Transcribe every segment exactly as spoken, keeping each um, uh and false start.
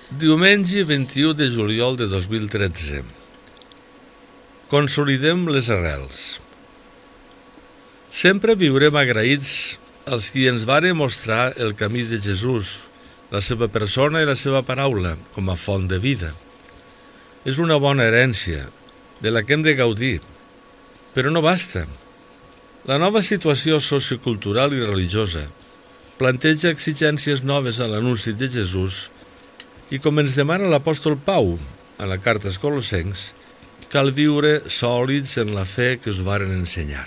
Diumenge vint-i-u de juliol de dos mil tretze. Consolidem les arrels. Sempre viurem agraïts als qui ens varen mostrar el camí de Jesús, la seva persona i la seva paraula, com a font de vida. És una bona herència, de la que hem de gaudir, però no basta. La nova situació sociocultural i religiosa planteja exigències noves a l'anunci de Jesús i, com ens demana l'apòstol Pau a la carta als Colossencs, cal viure sòlids en la fe que us varen ensenyar.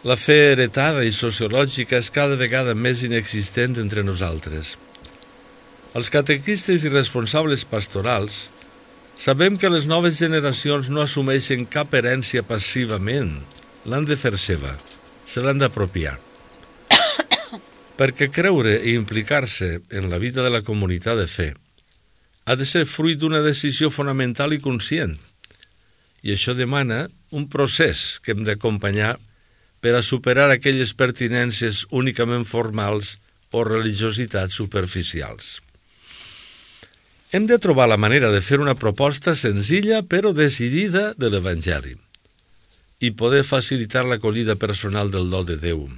La fe heretada i sociològica és cada vegada més inexistent entre nosaltres. Els catequistes i responsables pastorals sabem que les noves generacions no assumeixen cap herència passivament, l'han de fer seva, se l'han d'apropiar. Perquè creure i implicar-se en la vida de la comunitat de fe ha de ser fruit d'una decisió fonamental i conscient, i això demana un procés que hem d'acompanyar per a superar aquelles pertinències únicament formals o religiositats superficials. Hem de trobar la manera de fer una proposta senzilla però decidida de l'Evangeli i poder facilitar l'acollida personal del do de Déu.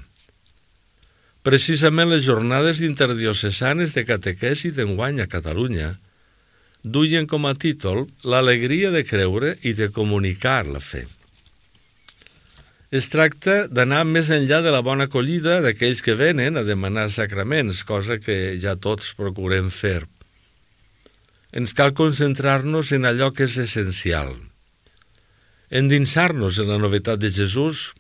Precisament les jornades interdiocesanes de catequesi d'enguany a Catalunya duien com a títol l'alegria de creure i de comunicar la fe. Es tracta d'anar més enllà de la bona acollida d'aquells que venen a demanar sacraments, cosa que ja tots procurem fer. Ens cal concentrar-nos en allò que és essencial, endinsar-nos en la novetat de Jesús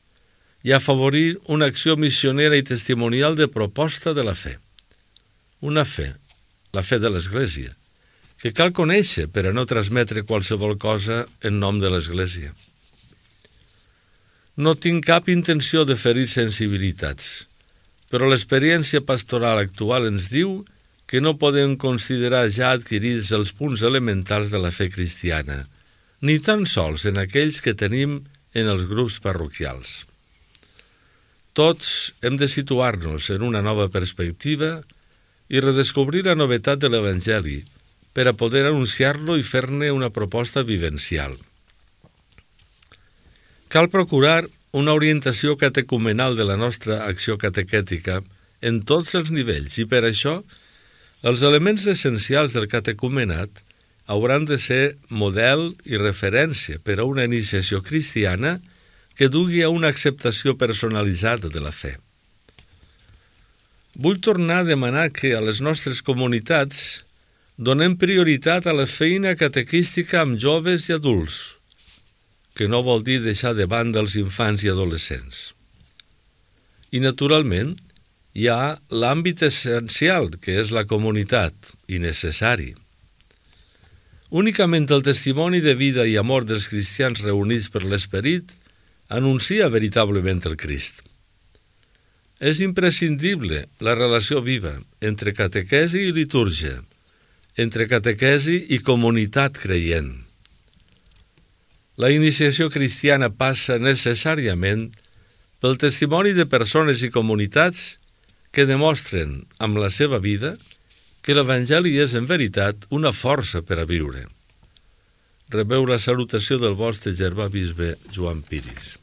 i afavorir una acció missionera i testimonial de proposta de la fe. Una fe, la fe de l'Església, que cal conèixer per a no transmetre qualsevol cosa en nom de l'Església. No tinc cap intenció de ferir sensibilitats, però l'experiència pastoral actual ens diu que no podem considerar ja adquirits els punts elementals de la fe cristiana, ni tan sols en aquells que tenim en els grups parroquials. Tots hem de situar-nos en una nova perspectiva i redescobrir la novetat de l'Evangeli per a poder anunciar-lo i fer-ne una proposta vivencial. Cal procurar una orientació catecumenal de la nostra acció catequètica en tots els nivells i per això els elements essencials del catecumenat hauran de ser model i referència per a una iniciació cristiana que dugui a una acceptació personalitzada de la fe. Vull tornar a demanar que a les nostres comunitats donem prioritat a la feina catequística amb joves i adults, que no vol dir deixar de banda els infants i adolescents. I, naturalment, hi ha l'àmbit essencial, que és la comunitat, i necessari. Únicament el testimoni de vida i amor dels cristians reunits per l'Esperit anuncia veritablement el Crist. És imprescindible la relació viva entre catequesi i litúrgia, entre catequesi i comunitat creient. La iniciació cristiana passa necessàriament pel testimoni de persones i comunitats que demostren amb la seva vida que l'Evangeli és en veritat una força per a viure. Rebeu la salutació del vostre germà bisbe Joan Piris.